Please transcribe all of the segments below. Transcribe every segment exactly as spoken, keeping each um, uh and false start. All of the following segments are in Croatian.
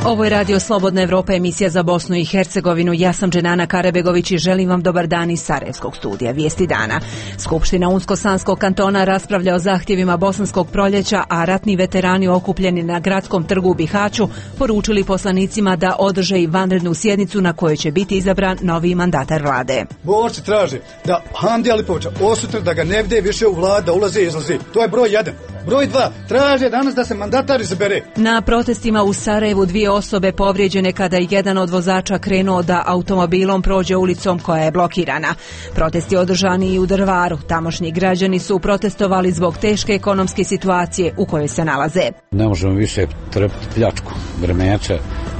Ovo je Radio Slobodna Evropa, emisija za Bosnu i Hercegovinu. Ja sam Dženana Karabegović i želim vam dobar dan iz Sarajevskog studija Vijesti dana. Skupština Unsko-Sanskog kantona raspravlja o zahtjevima Bosanskog proljeća, a ratni veterani okupljeni na gradskom trgu u Bihaću poručili poslanicima da održe i vanrednu sjednicu na kojoj će biti izabran novi mandatar vlade. Borci traže da Hamdija Lipovića osutre, da ga ne vide više u vladu, da ulaze i izlaze. To je broj jedan. Broj dva, traže danas da se mandatar izabere. Na protestima u Sarajevu dvije osobe povrijeđene kada je jedan od vozača krenuo da automobilom prođe ulicom koja je blokirana. Protesti održani i u Drvaru. Tamošnji građani su protestovali zbog teške ekonomske situacije u kojoj se nalaze. Ne možemo više trpiti pljačku Grmeća,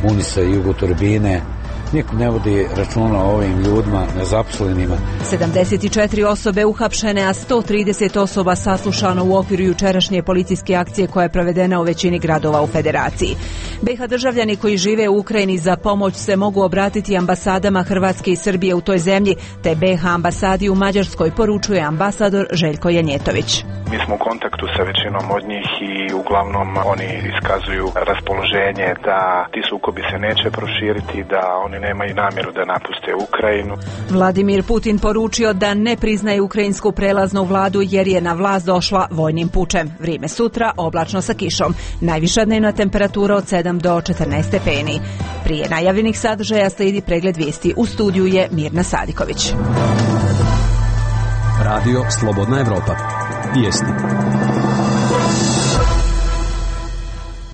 Unisa i Jugoturbine. Niko ne vodi računa o ovim ljudima, nezaposlenima. sedamdeset četiri osobe uhapšene, a sto trideset osoba saslušano u okviru jučerašnje policijske akcije koja je provedena u većini gradova u Federaciji. B iH državljani koji žive u Ukrajini za pomoć se mogu obratiti ambasadama Hrvatske i Srbije u toj zemlji, te B iH ambasadi u Mađarskoj, poručuje ambasador Željko Janjetović. Mi smo u kontaktu sa većinom od njih i uglavnom oni iskazuju raspoloženje da ti sukobi se neće proširiti, da oni nemaju namjeru da napuste Ukrajinu. Vladimir Putin poručio da ne priznaje ukrajinsku prelaznu vladu jer je na vlast došla vojnim pučem. Vrijeme sutra oblačno sa kišom. Najviša dnevna temperatura od sedam do četrnaest stepeni. Prije najavljenih sadržaja slijedi pregled vijesti. U studiju je Mirna Sadiković. Radio Slobodna Evropa. Vijesti.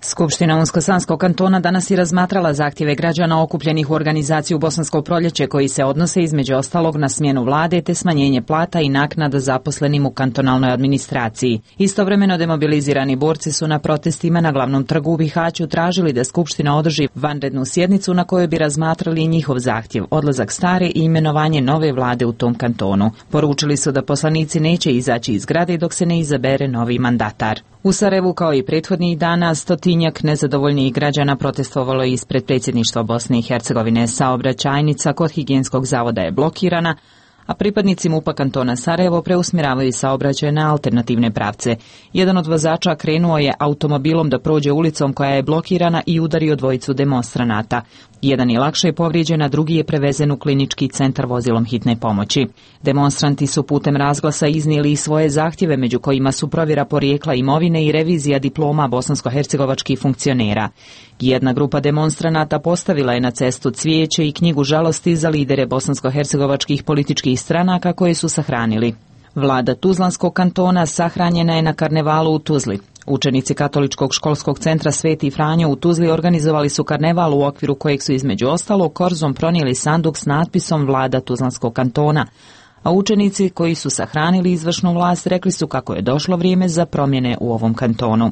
Skupština Unsko-Sanskog kantona danas je razmatrala zahtjeve građana okupljenih u organizaciju Bosansko proljeće koji se odnose između ostalog na smjenu vlade te smanjenje plata i naknada zaposlenim u kantonalnoj administraciji. Istovremeno demobilizirani borci su na protestima na glavnom trgu u Bihaću tražili da Skupština održi vanrednu sjednicu na kojoj bi razmatrali njihov zahtjev, odlazak stare i imenovanje nove vlade u tom kantonu. Poručili su da poslanici neće izaći iz zgrade dok se ne izabere novi mandatar. U Sarajevu, kao i prethodnih dana, stotinjak nezadovoljnih građana protestovalo ispred predsjedništva Bosne i Hercegovine. Saobraćajnica kod higijenskog zavoda je blokirana, a pripadnici MUP-a kantona Sarajevo preusmjeravaju saobraćaj na alternativne pravce. Jedan od vozača krenuo je automobilom da prođe ulicom koja je blokirana i udario dvojicu demonstranata. Jedan je lakše povrijeđen, a drugi je prevezen u klinički centar vozilom hitne pomoći. Demonstranti su putem razglasa iznijeli i svoje zahtjeve, među kojima su provjera porijekla imovine i revizija diploma bosansko-hercegovačkih funkcionera. Jedna grupa demonstranata postavila je na cestu cvijeće i knjigu žalosti za lidere bosansko-hercegovačkih političkih stranaka koje su sahranili. Vlada Tuzlanskog kantona sahranjena je na karnevalu u Tuzli. Učenici Katoličkog školskog centra Sveti Franjo u Tuzli organizovali su karneval u okviru kojeg su između ostalog korzom pronijeli sanduk s natpisom Vlada Tuzlanskog kantona, a učenici koji su sahranili izvršnu vlast rekli su kako je došlo vrijeme za promjene u ovom kantonu.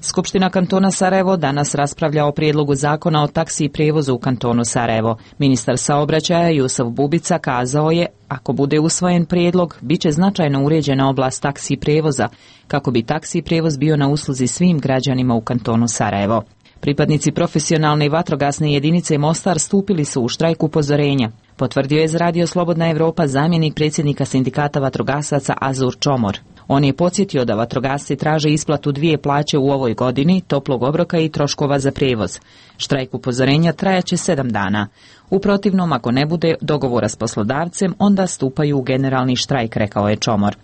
Skupština kantona Sarajevo danas raspravlja o prijedlogu zakona o taksi i prijevozu u kantonu Sarajevo. Ministar saobraćaja Jusuf Bubica kazao je, ako bude usvojen prijedlog, bit će značajno uređena oblast taksi prijevoza, kako bi taksi prijevoz bio na usluzi svim građanima u kantonu Sarajevo. Pripadnici profesionalne i vatrogasne jedinice Mostar stupili su u štrajk upozorenja. Potvrdio je za Radio Slobodna Evropa zamjenik predsjednika sindikata vatrogasaca Azur Čomor. On je podsjetio da vatrogasci traže isplatu dvije plaće u ovoj godini, toplog obroka i troškova za prijevoz. Štrajk upozorenja trajaće sedam dana. U protivnom, ako ne bude dogovora s poslodavcem, onda stupaju u generalni štrajk, rekao je Čomor.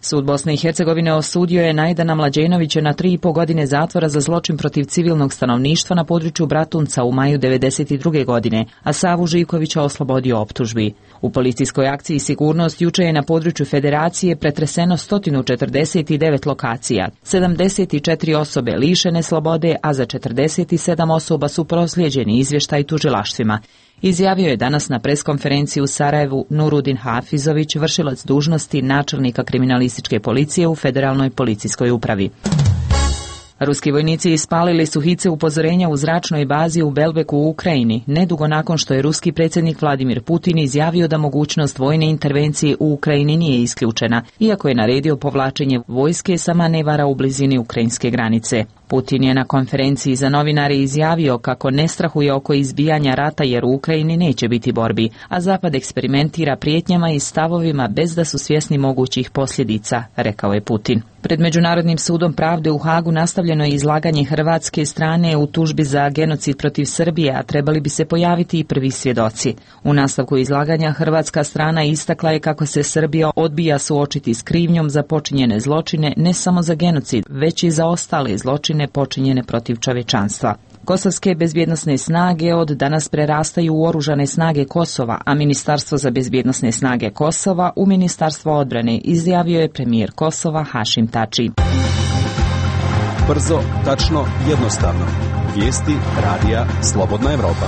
Sud Bosne i Hercegovine osudio je Najdana Mlađenovića na tri i po godine zatvora za zločin protiv civilnog stanovništva na području Bratunca u maju devedeset druge godine, a Savu Živkovića oslobodio optužbi. U policijskoj akciji Sigurnost juče je na području Federacije pretreseno sto četrdeset devet lokacija. sedamdeset četiri osobe lišene slobode, a za četrdeset sedam osoba su proslijeđeni izvještaj tužilaštvima. Izjavio je danas na preskonferenciji u Sarajevu Nurudin Hafizović, vršilac dužnosti načelnika kriminalističke policije u Federalnoj policijskoj upravi. Ruski vojnici ispalili su hice upozorenja u zračnoj bazi u Belbeku u Ukrajini, nedugo nakon što je ruski predsjednik Vladimir Putin izjavio da mogućnost vojne intervencije u Ukrajini nije isključena, iako je naredio povlačenje vojske sa manevara u blizini ukrajinske granice. Putin je na konferenciji za novinare izjavio kako ne strahuje oko izbijanja rata jer u Ukrajini neće biti borbi, a Zapad eksperimentira prijetnjama i stavovima bez da su svjesni mogućih posljedica, rekao je Putin. Pred Međunarodnim sudom pravde u Hagu nastavljeno je izlaganje hrvatske strane u tužbi za genocid protiv Srbije, a trebali bi se pojaviti i prvi svjedoci. U nastavku izlaganja hrvatska strana istakla je kako se Srbija odbija suočiti s krivnjom za počinjene zločine ne samo za genocid, već i za ostale zločine počinjene protiv čovječanstva. Kosovske bezbjednosne snage od danas prerastaju u oružane snage Kosova, a Ministarstvo za bezbjednosne snage Kosova u Ministarstvo odbrane, izjavio je premijer Kosova Hašim Tači. Brzo, tačno, jednostavno. Vijesti radija Slobodna Evropa.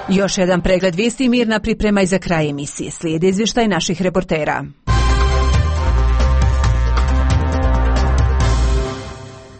Još jedan pregled vijesti Mirna priprema i za kraj emisije. Slijedi izvještaj naših reportera.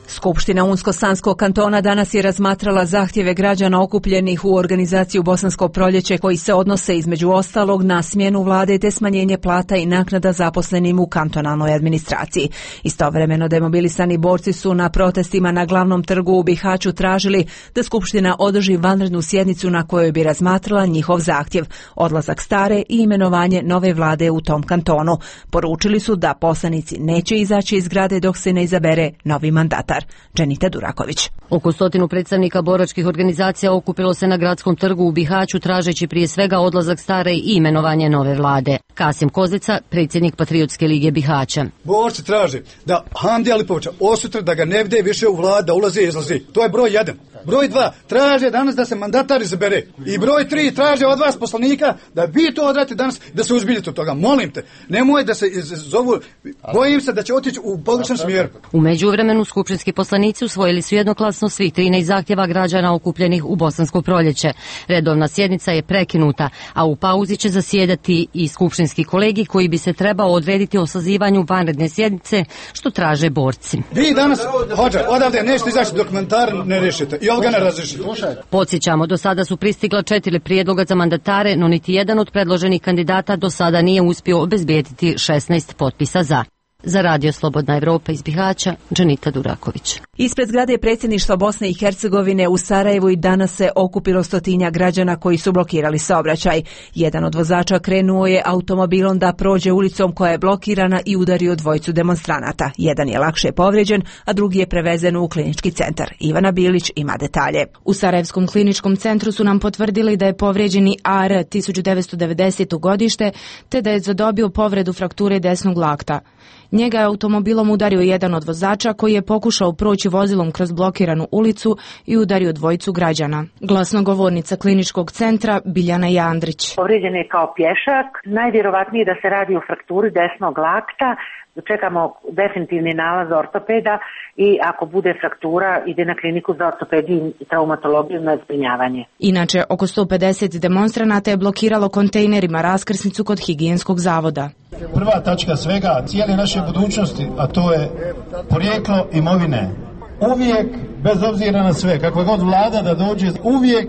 Skupština Unsko-Sanskog kantona danas je razmatrala zahtjeve građana okupljenih u organizaciju Bosansko proljeće koji se odnose između ostalog na smjenu vlade te smanjenje plata i naknada zaposlenim u kantonalnoj administraciji. Istovremeno demobilisani borci su na protestima na glavnom trgu u Bihaću tražili da Skupština održi vanrednu sjednicu na kojoj bi razmatrala njihov zahtjev, odlazak stare i imenovanje nove vlade u tom kantonu. Poručili su da poslanici neće izaći iz zgrade dok se ne izabere novi mandatar. Dženita Duraković. Oko stotinu predstavnika boračkih organizacija okupilo se na gradskom trgu u Bihaću tražeći prije svega odlazak stare i imenovanje nove vlade. Kasim Kozica, predsjednik Patriotske lige Bihaća. Borci traže da Hamdi Alipovića osutre da ga ne vide više u vlada, ulazi i izlazi. To je broj jedan. Broj dva, traže danas da se mandatar izabere. I broj tri, traže od vas poslanika da vi to odradite danas, da se uzbiljete od toga. Molim te, nemoj da se zovu, bojim se da će otići u pogrešnom smjeru. U međuvremenu skupštinski poslanici usvojili su jednoglasno svih trinaest zahtjeva građana okupljenih u Bosansko proljeće. Redovna sjednica je prekinuta, a u pauzi će zasjedati i skupštinski kolegi koji bi se trebao odrediti o sazivanju vanredne sjednice, što traže borci. Vi danas, hođa, odavde nećete izaći dok mandatar ne rešite i ovoga ne razrešite. Podsjećamo, do sada su pristigla četiri prijedloga za mandatare, no niti jedan od predloženih kandidata do sada nije uspio obezbijediti šesnaest potpisa za. Za Radio Slobodna Evropa iz Bihaća, Dženita Duraković. Ispred zgrade predsjedništva Bosne i Hercegovine u Sarajevu i danas se okupilo stotinja građana koji su blokirali saobraćaj. Jedan od vozača krenuo je automobilom da prođe ulicom koja je blokirana i udario dvojicu demonstranata. Jedan je lakše povrijeđen, a drugi je prevezen u klinički centar. Ivana Bilić ima detalje. U Sarajevskom kliničkom centru su nam potvrdili da je povrijeđeni A R tisuću devetsto devedesete godište, te da je zadobio povredu frakture desnog lakta. Njega je automobilom udario jedan od vozača koji je pokušao proći vozilom kroz blokiranu ulicu i udario dvojicu građana. Glasnogovornica kliničkog centra Biljana Jandrić. Povrijeđen je kao pješak, najvjerovatnije da se radi o frakturi desnog lakta. Čekamo definitivni nalaz ortopeda i ako bude fraktura ide na kliniku za ortopediju i traumatologiju na zbrinjavanje. Inače, oko sto pedeset demonstranata je blokiralo kontejnerima raskrsnicu kod higijenskog zavoda. Prva tačka svega, cijele naše budućnosti, a to je porijeklo imovine. Uvijek, bez obzira na sve, kakva god vlada da dođe, uvijek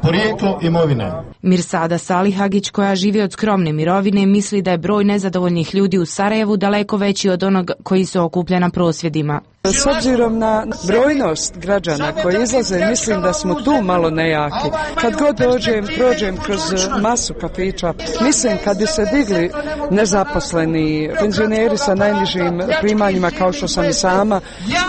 porijeklo imovine. Mirsada Salihagić, koja živi od skromne mirovine, misli da je broj nezadovoljnih ljudi u Sarajevu daleko veći od onog koji se okuplja na prosvjedima. S obzirom na brojnost građana koji izlaze, mislim da smo tu malo nejaki. Kad god dođem, prođem kroz masu kafića, mislim kad bi se digli nezaposleni, penzioneri sa najnižim primanjima kao što sam i sama,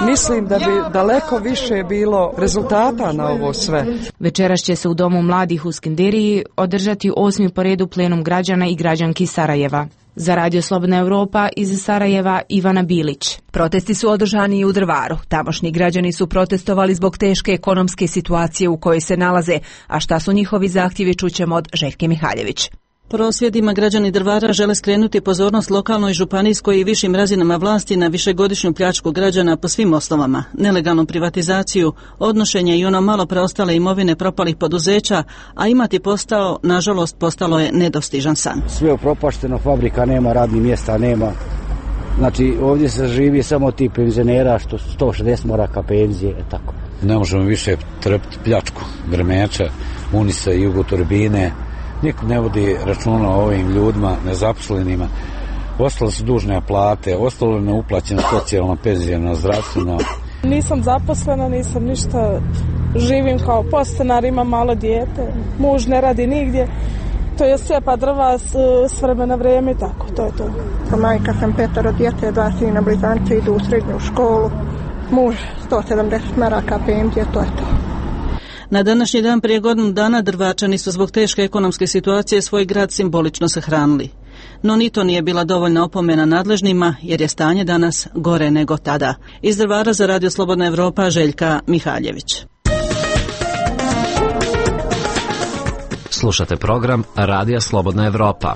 mislim da bi daleko više bilo rezultata na ovo sve. Večeras će se u Domu mladih u Skenderiji održati osmi po redu plenum građana i građanki Sarajeva. Za Radio Slobodna Evropa iz Sarajeva Ivana Bilić. Protesti su održani i u Drvaru. Tamošnji građani su protestovali zbog teške ekonomske situacije u kojoj se nalaze, a šta su njihovi zahtjevi čućemo od Željke Mihaljević. Prosvjedima građani Drvara žele skrenuti pozornost lokalnoj, županijskoj i višim razinama vlasti na višegodišnju pljačku građana po svim osnovama, nelegalnu privatizaciju, odnošenje i ono malo preostale imovine propalih poduzeća, a imati postao, nažalost, postalo je nedostižan san. Sve upropašteno, fabrika nema, radnih mjesta nema. Znači, ovdje se živi samo ti penzionera što sto šezdeset maraka penzije, tako. Ne možemo više trpiti pljačku, Grmeća, Unisa, Jugoturbine. Niko ne vodi računa o ovim ljudima, nezaposlenima. Ostale su dužne plate, ostalo je neuplaćeno socijalno, penzijno, zdravstveno Nisam zaposlena, nisam ništa, živim kao podstanar, imam malo dijete, muž ne radi nigdje. To je sjepa drva s, s vremena vrijeme, tako, to je to. Kao majka sam petero djece, dva sina blizanci idu u srednju školu, muž sto sedamdeset maraka penzije, to je to. Na današnji dan prije godinu dana Drvačani su zbog teške ekonomske situacije svoj grad simbolično sahranili. No ni to nije bila dovoljna opomena nadležnima, jer je stanje danas gore nego tada. Iz Drvara za Radio Slobodna Evropa, Željka Mihaljević. Slušate program Radija Slobodna Evropa.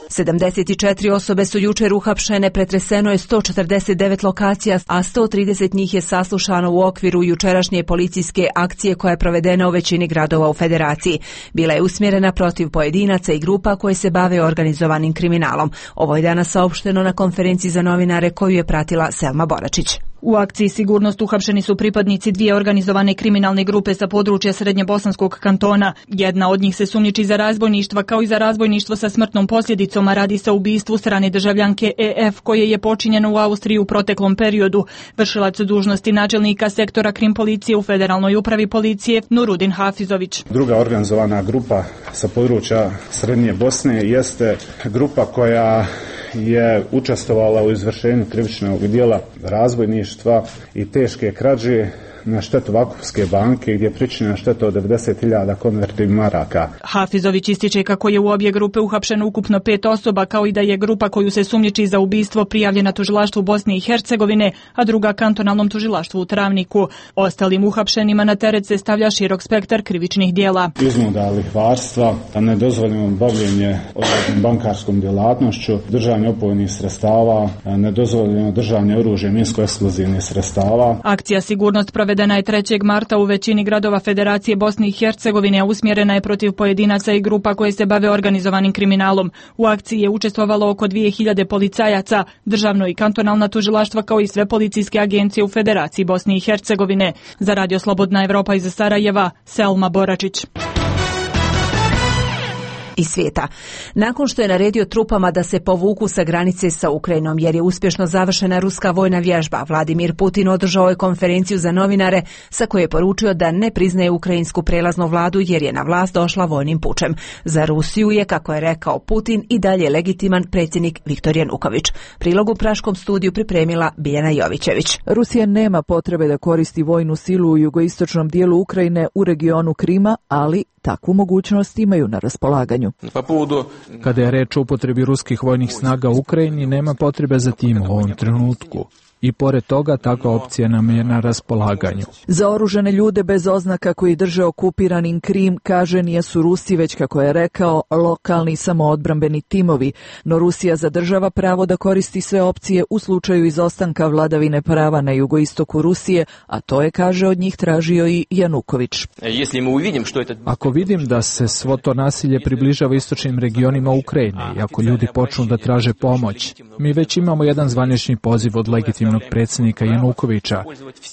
sedamdeset četiri osobe su jučer uhapšene, pretreseno je sto četrdeset devet lokacija, a sto trideset njih je saslušano u okviru jučerašnje policijske akcije koja je provedena u većini gradova u Federaciji. Bila je usmjerena protiv pojedinaca i grupa koje se bave organizovanim kriminalom. Ovo je danas saopšteno na konferenciji za novinare koju je pratila Selma Boračić. U akciji Sigurnost uhapšeni su pripadnici dvije organizovane kriminalne grupe sa područja Srednjebosanskog kantona. Jedna od njih se sumnjiči za razbojništva kao i za razbojništvo sa smrtnom posljedicom, a radi se o ubistvu strane državljanke E F koje je počinjeno u Austriji u proteklom periodu. Vršilac dužnosti načelnika sektora krim policije u Federalnoj upravi policije Nurudin Hafizović. Druga organizovana grupa sa područja Srednje Bosne jeste grupa koja je učestvovala u izvršenju krivičnog djela razbojništva i teške krađe na štetu Vakufske banke, gdje je pričinjena šteta od devedeset hiljada konvertibilnih maraka. Hafizović ističe kako je u obje grupe uhapšeno ukupno pet osoba, kao i da je grupa koju se sumnjiči za ubistvo prijavljena tužilaštvu Bosne i Hercegovine, a druga kantonalnom tužilaštvu u Travniku. Ostalim uhapšenima na teret se stavlja širok spektar krivičnih djela. Iznuda lihvarstva, nedozvoljeno bavljenje bankarskom djelatnošću, držanje opojnih sredstava, nedozvoljeno držanje oružja, minsko-eksplozivnih sredstava. Akcija Sigurnost provedena je trećeg marta u većini gradova Federacije Bosne i Hercegovine, a usmjerena je protiv pojedinaca i grupa koje se bave organizovanim kriminalom. U akciji je učestvovalo oko dvije hiljade policajaca, državno i kantonalna tužilaštva kao i sve policijske agencije u Federaciji Bosne i Hercegovine. Za Radio Slobodna Evropa iz Sarajeva, Selma Boračić. I svijeta. Nakon što je naredio trupama da se povuku sa granice sa Ukrajinom jer je uspješno završena ruska vojna vježba, Vladimir Putin održao je konferenciju za novinare sa kojoj je poručio da ne priznaje ukrajinsku prelaznu vladu jer je na vlast došla vojnim pučem. Za Rusiju je, kako je rekao Putin, i dalje legitiman predsjednik Viktor Januković. Prilog u Praškom studiju pripremila Biljana Jovićević. Rusija nema potrebe da koristi vojnu silu u jugoistočnom dijelu Ukrajine u regionu Krima, ali takvu mogućnost imaju na raspolaganju. Kada je reč o upotrebi ruskih vojnih snaga u Ukrajini, nema potrebe za tim u ovom trenutku. I pored toga, takva opcija nam je na raspolaganju. Za oružane ljude bez oznaka koji drže okupiranim Krim, kaže, nisu Rusi, već, kako je rekao, lokalni samoodbrambeni timovi. No Rusija zadržava pravo da koristi sve opcije u slučaju izostanka vladavine prava na jugoistoku Rusije, a to je, kaže, od njih tražio i Januković. Ako vidim da se svo to nasilje približava istočnim regionima Ukrajine i ako ljudi počnu da traže pomoć, mi već imamo jedan zvanični poziv od legitimnog predsjednika Janukovića.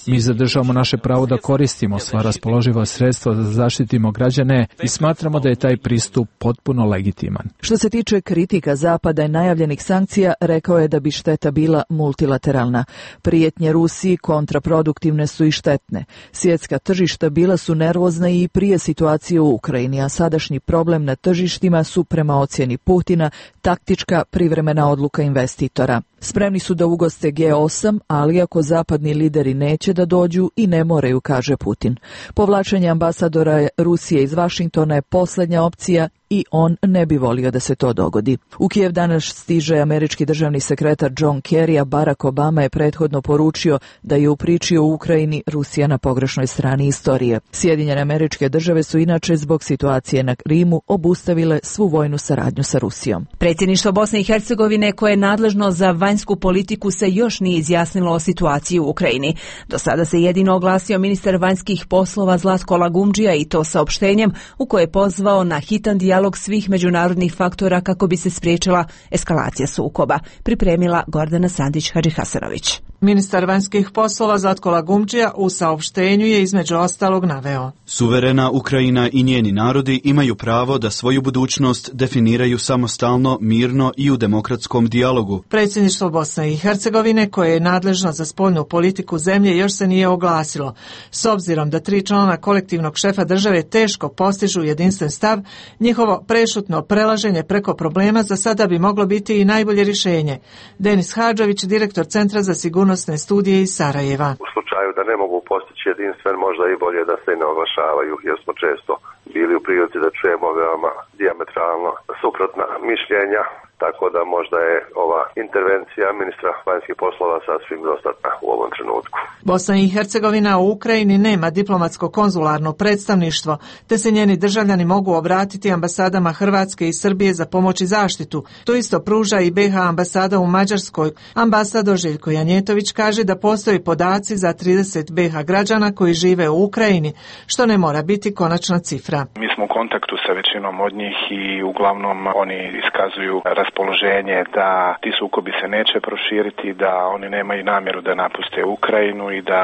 Mi zadržavamo naše pravo da koristimo sva raspoloživa sredstva da zaštitimo građane i smatramo da je taj pristup potpuno legitiman. Što se tiče kritika Zapada i najavljenih sankcija, rekao je da bi šteta bila multilateralna. Prijetnje Rusiji kontraproduktivne su i štetne. Svjetska tržišta bila su nervozna i prije situacije u Ukrajini, a sadašnji problem na tržištima su, prema ocjeni Putina, taktička privremena odluka investitora. Spremni su da ugoste G osam, ali ako zapadni lideri neće da dođu i ne moraju, kaže Putin. Povlačenje ambasadora Rusije iz Vašingtona je posljednja opcija i on ne bi volio da se to dogodi. U Kijev danas stiže američki državni sekretar John Kerry, a Barack Obama je prethodno poručio da je u priči o Ukrajini Rusija na pogrešnoj strani istorije. Sjedinjene Američke Države su inače zbog situacije na Krimu obustavile svu vojnu saradnju sa Rusijom. Predsjedništvo Bosne i Hercegovine, koje je nadležno za vanjsku politiku, se još nije izjasnilo o situaciji u Ukrajini. Do sada se jedino oglasio ministar vanjskih poslova Zlatko Lagumdžija, i to saopštenjem u koje je pozvao na hitan dijalog dijalog svih međunarodnih faktora kako bi se spriječila eskalacija sukoba, pripremila Gordana Sandić-Hadžihasanović. Ministar vanjskih poslova Zlatko Lagumdžija u saopštenju je između ostalog naveo: Suverena Ukrajina i njeni narodi imaju pravo da svoju budućnost definiraju samostalno, mirno i u demokratskom dijalogu. Predsjedništvo Bosne i Hercegovine, koje je nadležno za spoljnu politiku zemlje, još se nije oglasilo. S obzirom da tri člana kolektivnog šefa države teško postižu jedinstven stav, njihovo prešutno prelaženje preko problema za sada bi moglo biti i najbolje rješenje. Denis Hadžović, direktor Centra za sigurnosne studije iz Sarajeva. U slučaju da ne mogu postići jedinstven, možda i bolje da se ne oglašavaju, jer smo često bili u prilici da čujemo veoma dijametralno suprotna mišljenja, tako da možda je ova intervencija ministra vanjskih poslova sasvim dostatna u ovom trenutku. Bosna i Hercegovina u Ukrajini nema diplomatsko-konzularno predstavništvo, te se njeni državljani mogu obratiti ambasadama Hrvatske i Srbije za pomoć i zaštitu. To isto pruža i be ha ambasada u Mađarskoj. Ambasador Željko Janjetović kaže da postoji podaci za trideset be ha građana koji žive u Ukrajini, što ne mora biti konačna cifra. Mi smo u kontaktu sa većinom od njih i uglavnom oni iskazuju raspoloženje da ti sukobi se neće proširiti, da oni nemaju namjeru da napuste Ukrajinu i da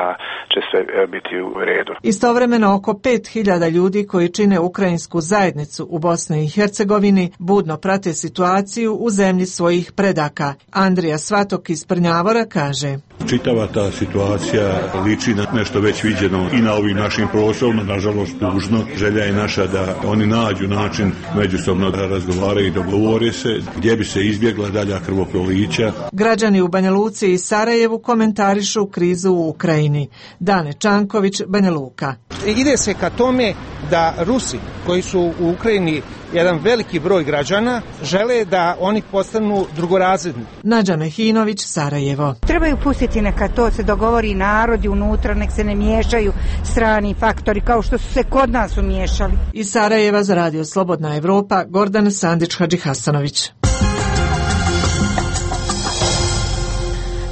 će sve biti u redu. Istovremeno oko pet hiljada ljudi koji čine ukrajinsku zajednicu u Bosni i Hercegovini budno prate situaciju u zemlji svojih predaka. Andrija Svatok iz Prnjavora kaže: Čitava ta situacija liči na nešto već viđeno i na ovim našim prostorima, nažalost tužno. Želja je naša da oni nađu način međusobno da razgovaraju i dogovore se gdje bi se izbjegla dalja krvoprolića. Građani u Banja Luci i Sarajevu komentarišu krizu u Ukrajini. Dane Čanković, Banja Luka. Ide se ka tome da Rusi, koji su u Ukrajini jedan veliki broj građana, žele da oni postanu drugorazredni. Nađa Mehinović, Sarajevo. Trebaju pustiti neka to se dogovori narodi unutra, nek se ne miješaju strani faktori kao što su se kod nas umiješali. Iz Sarajeva za radio Slobodna Evropa, Gordana Sandić-Hadžihasanović.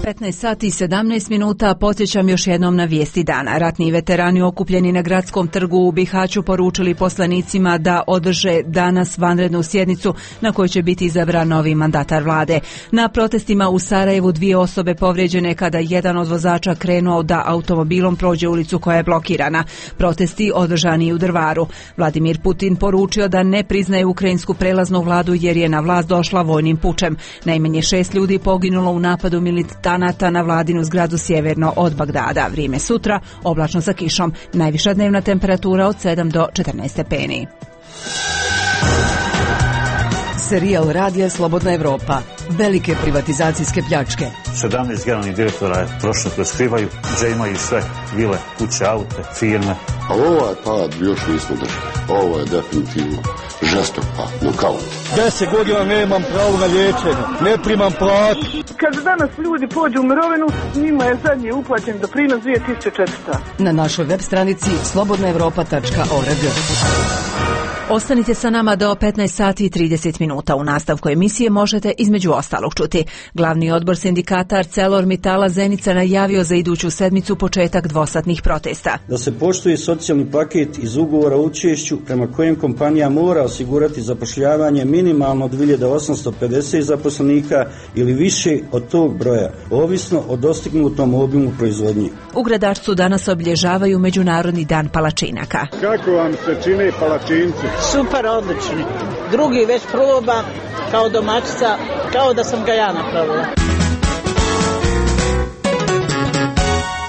petnaest sati i sedamnaest minuta, podsjećam još jednom na vijesti dana. Ratni veterani okupljeni na Gradskom trgu u Bihaću poručili poslanicima da održe danas vanrednu sjednicu na kojoj će biti izabran novi mandatar vlade. Na protestima u Sarajevu dvije osobe povrijeđene kada jedan od vozača krenuo da automobilom prođe ulicu koja je blokirana. Protesti održani u Drvaru. Vladimir Putin poručio da ne priznaje ukrajinsku prelaznu vladu jer je na vlast došla vojnim pučem. Najmanje šest ljudi poginulo u napadu militanata na vladinu zgradu sjeverno od Bagdada. Vrijeme sutra, oblačno sa kišom. Najviša dnevna temperatura od sedam do četrnaest stepeni. Serijal radija Slobodna Evropa. Velike privatizacijske pljačke. sedamnaest generalnih direktora je prošlo kroz Krivaju, gdje imaju sve vile, kuće, aute, firme. A ovaj pad još nismo držali. Ovo je definitivno žestok pad, nokaut. Deset godina nemam pravo na liječenje, ne primam platu. Kad danas ljudi pođu u mirovinu, njima je zadnji uplaćen doprinos dvije tisuće četiristo. Na našoj web stranici slobodna evropa tačka org. Ostanite sa nama do petnaest sati i trideset minuta. U nastavku emisije možete između ostalog čuti. Glavni odbor sindikata ArcelorMittala Zenica najavio za iduću sedmicu početak dvosatnih protesta. Da se poštuje socijalni paket iz ugovora o učešću prema kojem kompanija mora osigurati zapošljavanje minimalno dvije hiljade osamsto pedeset zaposlenika ili više od tog broja, ovisno o dostignutom obimu proizvodnje. U Gradarcu danas obilježavaju Međunarodni dan palačinaka. Kako vam se čine palačinci? Super, odlični. Drugi već proba kao domaćica, kao da sam ga ja napravila.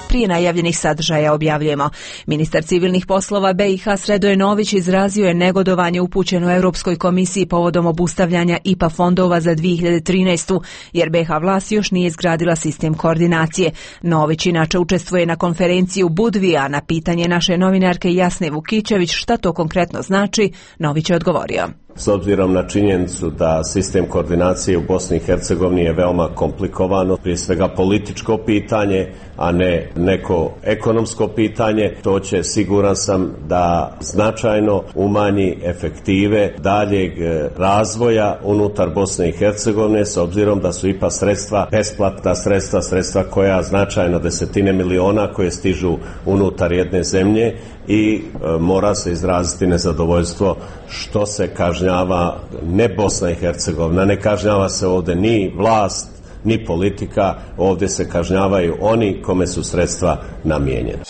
Prije najavljenih sadržaja objavljujemo. Ministar civilnih poslova be i ha Sredoje Nović izrazio je negodovanje upućeno Europskoj komisiji povodom obustavljanja i pe a fondova za dvije hiljade trinaestu. jer be ha vlast još nije izgradila sistem koordinacije. Nović inače učestvuje na konferenciji u Budvi, a na pitanje naše novinarke Jasne Vukićević šta to konkretno znači, Nović je odgovorio. S obzirom na činjenicu da sistem koordinacije u Bosni i Hercegovini je veoma komplikovano, prije svega političko pitanje, a ne neko ekonomsko pitanje, to će, siguran sam, da značajno umanji efektive daljeg razvoja unutar Bosne i Hercegovine, s obzirom da su i pe a sredstva besplatna sredstva, sredstva koja značajno desetine miliona koje stižu unutar jedne zemlje i e, mora se izraziti nezadovoljstvo što se kažnjava ne Bosna i Hercegovina, ne kažnjava se ovdje ni vlast, ni politika, ovdje se kažnjavaju oni kome su sredstva namijenjena.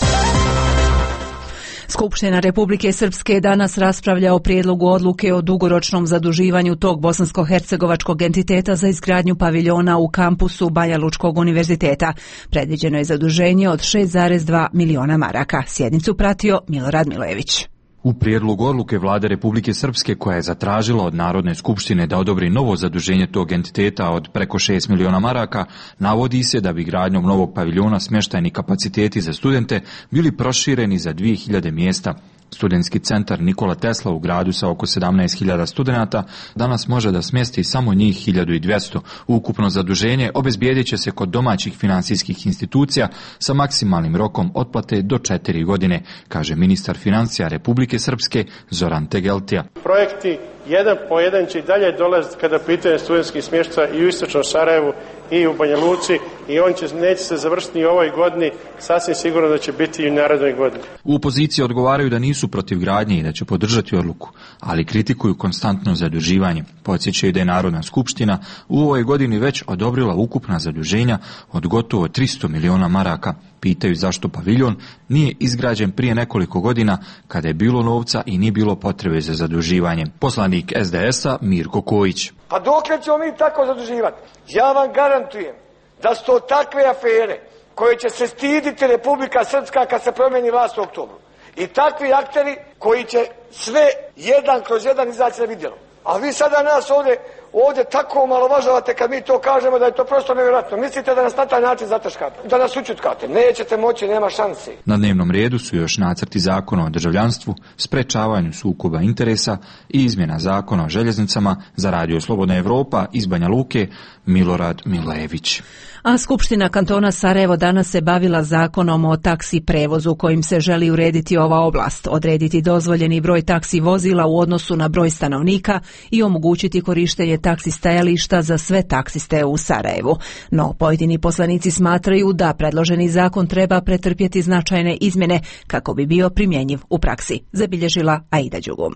Skupština Republike Srpske danas raspravlja o prijedlogu odluke o dugoročnom zaduživanju tog bosansko-hercegovačkog entiteta za izgradnju paviljona u kampusu Banja Lučkog univerziteta. Predviđeno je zaduženje od šest zarez dva miliona maraka. Sjednicu pratio Milorad Milojević. U prijedlogu odluke Vlade Republike Srpske, koja je zatražila od Narodne skupštine da odobri novo zaduženje tog entiteta od preko šest miliona maraka, navodi se da bi gradnjom novog paviljona smještajni kapaciteti za studente bili prošireni za dvije hiljade mjesta. Studentski centar Nikola Tesla u gradu sa oko sedamnaest hiljada studenata danas može da smjesti samo njih hiljadu dvjesto. Ukupno zaduženje obezbijedit će se kod domaćih financijskih institucija sa maksimalnim rokom otplate do četiri godine, kaže ministar financija Republike Srpske Zoran Tegeltija. Projekti jedan po jedan će i dalje dolaziti kada pitanje studentskih smještaja i u istočnom Sarajevu i u Banja Luci i on će, neće se završiti i u ovoj godini, sasvim sigurno da će biti i u narednoj godini. U opoziciji odgovaraju da nisu protiv gradnje i da će podržati odluku, ali kritikuju konstantno zaduživanje. Podsjećaju da je Narodna skupština u ovoj godini već odobrila ukupna zaduženja od gotovo tristo miliona maraka. Pitaju zašto paviljon nije izgrađen prije nekoliko godina kada je bilo novca i nije bilo potrebe za zaduživanje. Poslanik es de es a Mirko Kojić. Pa dokle ćemo mi tako zaduživati? Ja vam garantujem da su to takve afere koje će se stiditi Republika Srpska kad se promijeni vlast u oktobru. I takvi akteri koji će sve jedan kroz jedan izaći na vidjelo. A vi sada nas ovdje, ovdje tako omalovažavate kad mi to kažemo da je to prosto nevjerojatno. Mislite da nas na taj način zataškate, da nas učutkate. Nećete moći, nema šanse. Na dnevnom redu su još nacrti zakona o državljanstvu, sprečavanju sukoba interesa i izmjena zakona o željeznicama. Za Radio Slobodna Evropa iz Banja Luke, Milorad Milojević. A Skupština kantona Sarajevo danas se bavila zakonom o taksi prevozu kojim se želi urediti ova oblast, odrediti dozvoljeni broj taksi vozila u odnosu na broj stanovnika i omogućiti korištenje taksi stajališta za sve taksiste u Sarajevu. No, pojedini poslanici smatraju da predloženi zakon treba pretrpjeti značajne izmjene kako bi bio primjenjiv u praksi, zabilježila Aida Đugum.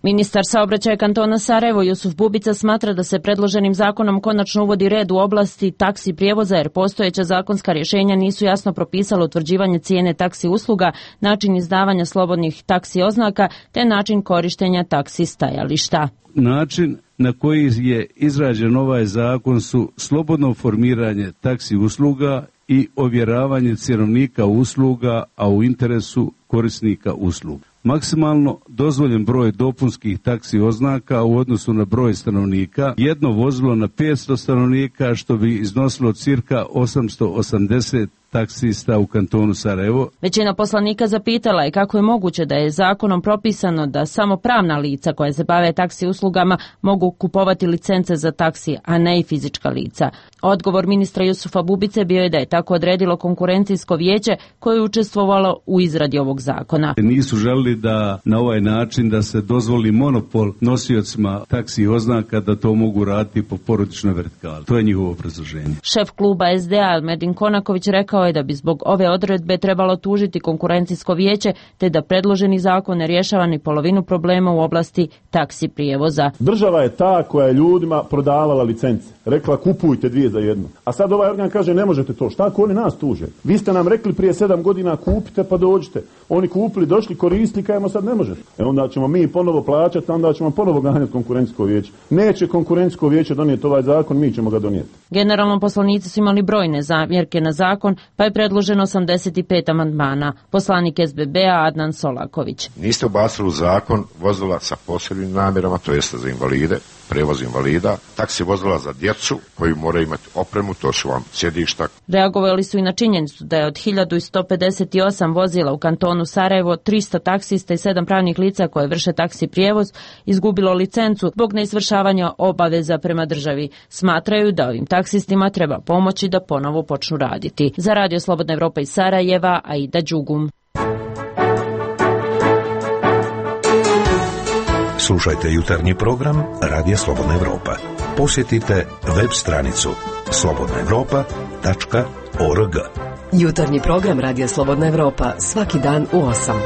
Ministar saobraćaja kantona Sarajevo Jusuf Bubica smatra da se predloženim zakonom konačno uvodi red u oblasti taksi prijevoza jer postojeća zakonska rješenja nisu jasno propisala utvrđivanje cijene taksi usluga, način izdavanja slobodnih taksi oznaka te način korištenja taksi stajališta. Način na koji je izrađen ovaj zakon su slobodno formiranje taksi usluga i ovjeravanje cjenovnika usluga, a u interesu korisnika usluga. Maksimalno dozvoljen broj dopunskih taksi oznaka u odnosu na broj stanovnika, jedno vozilo na petsto stanovnika, što bi iznosilo cirka osamsto osamdeset taksista u kantonu Sarajevo. Većina poslanika zapitala je kako je moguće da je zakonom propisano da samo pravna lica koja se bave taksi uslugama mogu kupovati licence za taksi, a ne i fizička lica. Odgovor ministra Jusufa Bubice bio je da je tako odredilo konkurencijsko vijeće koje je učestvovalo u izradi ovog zakona. Nisu želili da na ovaj način da se dozvoli monopol nosiocima taksi oznaka da to mogu raditi po porodičnoj vertikali. To je njihovo obrazloženje. Šef kluba es de a Medin Konaković rekao je da bi zbog ove odredbe trebalo tužiti konkurencijsko vijeće te da predloženi zakon ne rješava ni polovinu problema u oblasti taksi prijevoza. Država je ta koja je ljudima prodavala licence. Rekla kupujte dvije za jednu. A sad ovaj organ kaže ne možete to. Šta ako oni nas tuže? Vi ste nam rekli prije sedam godina kupite pa dođite. Oni kupili, došli, koristili, kajemo sad ne možete. E onda ćemo mi ponovo plaćati, onda ćemo ponovo ganjati konkurencijsko vijeće. Neće konkurencijsko vijeće donijeti ovaj zakon, mi ćemo ga donijeti. Generalno poslanici su imali brojne zamjerke na zakon, pa je predloženo osamdeset pet amandmana. Poslanik es be be a Adnan Solaković. Niste ubacili u zakon vozila sa posebnim namjerama, to jeste za invalide, prevoz invalida, taksi vozila za djecu koji moraju imati opremu, to su vam sjedišta. Reagovali su i na činjenicu da je od hiljadu sto pedeset osam vozila u kantonu Sarajevo tristo taksista i sedam pravnih lica koje vrše taksi prijevoz izgubilo licencu zbog neizvršavanja obaveza prema državi. Smatraju da ovim taksistima treba pomoći da ponovo počnu raditi. Za Radio Slobodna Evropa iz Sarajeva, Aida Đugum. Slušajte jutarnji program Radija Slobodna Evropa. Posjetite web stranicu slobodna evropa tačka org. Jutarnji program Radija Slobodna Evropa svaki dan u osam.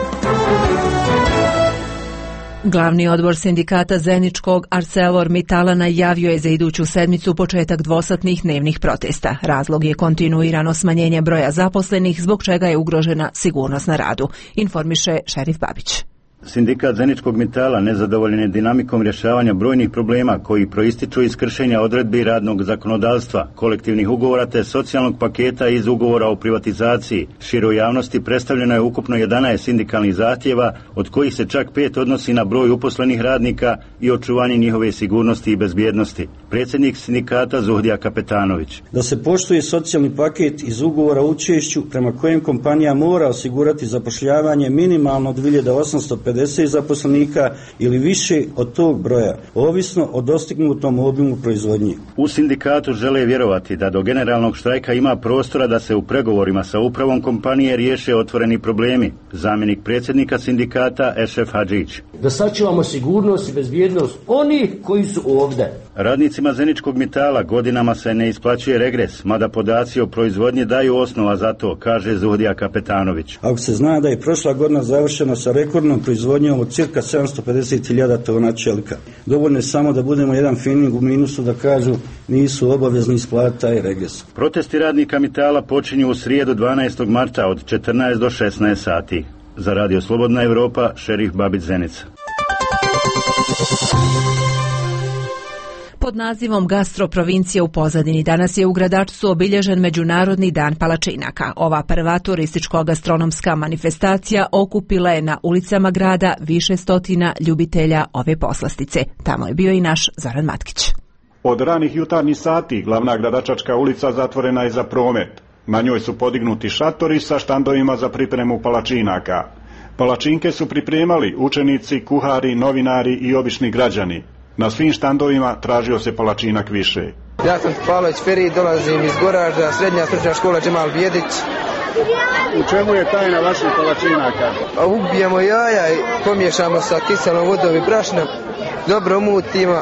Glavni odbor sindikata Zeničkog ArcelorMittala najavio je za iduću sedmicu početak dvosatnih dnevnih protesta. Razlog je kontinuirano smanjenje broja zaposlenih, zbog čega je ugrožena sigurnost na radu, informiše Šerif Babić. Sindikat Zeničkog Mittala nezadovoljen je dinamikom rješavanja brojnih problema koji proističu iz kršenja odredbi radnog zakonodavstva, kolektivnih ugovora te socijalnog paketa iz ugovora o privatizaciji. Široj javnosti predstavljeno je ukupno jedanaest sindikalnih zahtjeva, od kojih se čak pet odnosi na broj uposlenih radnika i očuvanje njihove sigurnosti i bezbjednosti. Predsjednik sindikata Zuhdija Kapetanović. Da se poštuje socijalni paket iz ugovora o učešću prema kojem kompanija mora osigurati zapošljavanje minimalno dvije hiljade osamsto pedeset zaposlenika ili više od tog broja, ovisno o dostignutom obimu proizvodnje. U sindikatu žele vjerovati da do generalnog štrajka ima prostora da se u pregovorima sa upravom kompanije riješe otvoreni problemi. Zamjenik predsjednika sindikata Ešef Hadžić. Da sačuvamo sigurnost i bezbjednost onih koji su ovdje. Radnicima Zeničkog Mittala godinama se ne isplaćuje regres, mada podaci o proizvodnji daju osnova za to, kaže Zuhdija Kapetanović. Ako se zna da je prošla godina završena sa rekordnom proizvodnjom od cirka sedamsto pedeset hiljada tona čelika. Dovoljno je samo da budemo jedan fining u minusu da kažu nisu obavezni isplatiti taj regres. Protesti radnika Mittala počinju u srijedu dvanaestog marta od četrnaest do šesnaest sati. Za Radio Slobodna Evropa, Šerif Babić Zenica. Pod nazivom Gastroprovincija u pozadini danas je u Gradačcu obilježen Međunarodni dan palačinaka. Ova prva turističko-gastronomska manifestacija okupila je na ulicama grada više stotina ljubitelja ove poslastice. Tamo je bio i naš Zoran Matkić. Od ranih jutarnjih sati glavna gradačačka ulica zatvorena je za promet. Na njoj su podignuti šatori sa štandovima za pripremu palačinaka. Palačinke su pripremali učenici, kuhari, novinari i obični građani. Na svim štandovima tražio se palačinak više. Ja sam Pavlović Feri, dolazim iz Goražda, srednja stručna škola Džemal Bijedić. U čemu je tajna vaših palačinaka? A ubijemo jaja i pomiješamo sa kiselom vodom i brašnom, dobro umutimo,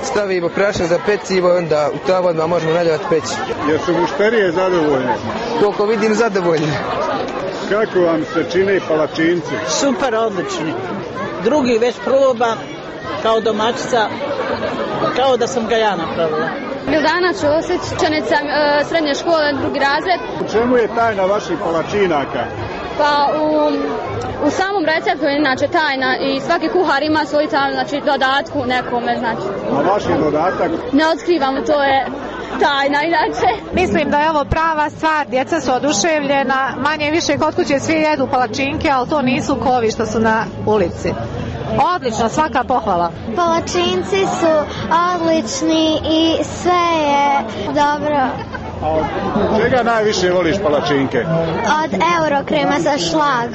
stavimo brašno za pecivo i onda u ta vodima možemo naljevati peći. Jesu mušterije zadovoljne? Koliko vidim zadovoljne. Kako vam se čine palačinci? Super, odlični. Drugi već proba. Kao domaćica, kao da sam ga ja napravila. Mildana Ćosić, učenica e, srednje škole, drugi razred. U čemu je tajna vaših palačinaka? Pa u, u samom receptu je inače tajna i svaki kuhar ima svoj tajnu, znači dodatku nekome, znači. A vaš je dodatak? Ne otkrivamo, to je tajna inače. Mislim da je ovo prava stvar, djeca su oduševljena, manje više kod kuće svi jedu palačinke, ali to nisu kovi što su na ulici. Odlično, svaka pohvala. Palačinci su odlični i sve je dobro. A od čega najviše voliš palačinke? Od Eurokrema za šlag.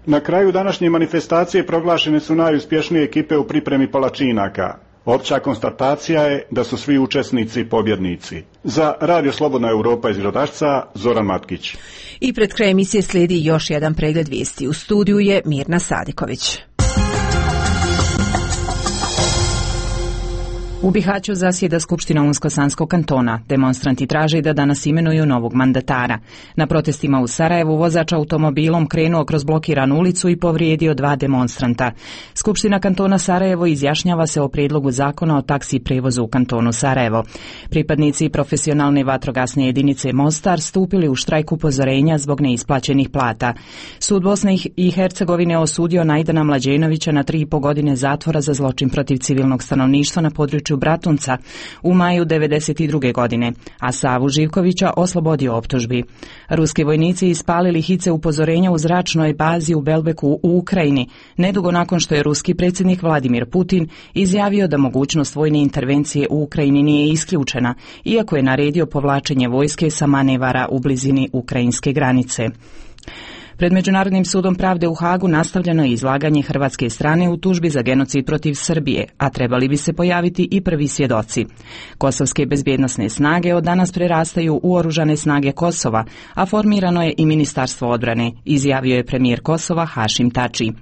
Na kraju današnje manifestacije proglašene su najuspješnije ekipe u pripremi palačinaka. Opća konstatacija je da su svi učesnici pobjednici. Za Radio Slobodna Europa iz Gradačca, Zoran Matkić. I pred kraj emisije slijedi još jedan pregled vijesti. U studiju je Mirna Sadiković. U Bihaću zasjeda Skupština Unsko-Sanskog kantona. Demonstranti traže da danas imenuju novog mandatara. Na protestima u Sarajevu vozač automobilom krenuo kroz blokiranu ulicu i povrijedio dva demonstranta. Skupština kantona Sarajevo izjašnjava se o prijedlogu zakona o taksi prevozu u kantonu Sarajevo. Pripadnici profesionalne vatrogasne jedinice Mostar stupili u štrajk upozorenja zbog neisplaćenih plata. Sud Bosne i Hercegovine osudio Najdana Mlađenovića na tri i po godine zatvora za zločin protiv civilnog stanovništva na području Bratunca u maju devedeset druge godine, a Savu Živkovića oslobodio optužbi. Ruski vojnici ispalili hice upozorenja u zračnoj bazi u Belbeku u Ukrajini, nedugo nakon što je ruski predsjednik Vladimir Putin izjavio da mogućnost vojne intervencije u Ukrajini nije isključena, iako je naredio povlačenje vojske sa manevara u blizini ukrajinske granice. Pred Međunarodnim sudom pravde u Hagu nastavljeno je izlaganje hrvatske strane u tužbi za genocid protiv Srbije, a trebali bi se pojaviti i prvi svjedoci. Kosovske bezbjednosne snage od danas prerastaju u oružane snage Kosova, a formirano je i Ministarstvo odbrane, izjavio je premijer Kosova Hašim Tači.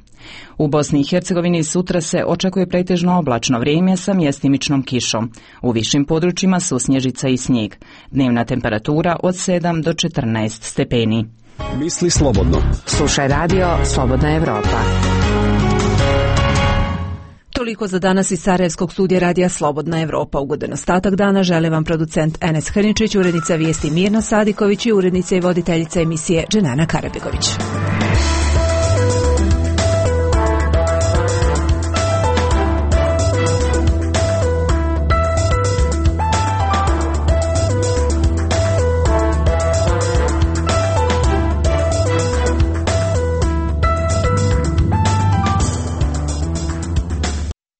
U Bosni i Hercegovini sutra se očekuje pretežno oblačno vrijeme sa mjestimičnom kišom. U višim područjima su snježica i snijeg. Dnevna temperatura od sedam do četrnaest stepeni. Misli slobodno. Slušaj radio Slobodna Evropa. Toliko za danas iz Sarajevskog studija radija Slobodna Evropa. Ugodan ostatak dana žele vam producent Enes Hrničić, urednica vijesti Mirna Sadiković i urednica i voditeljica emisije Dženana Karabegović.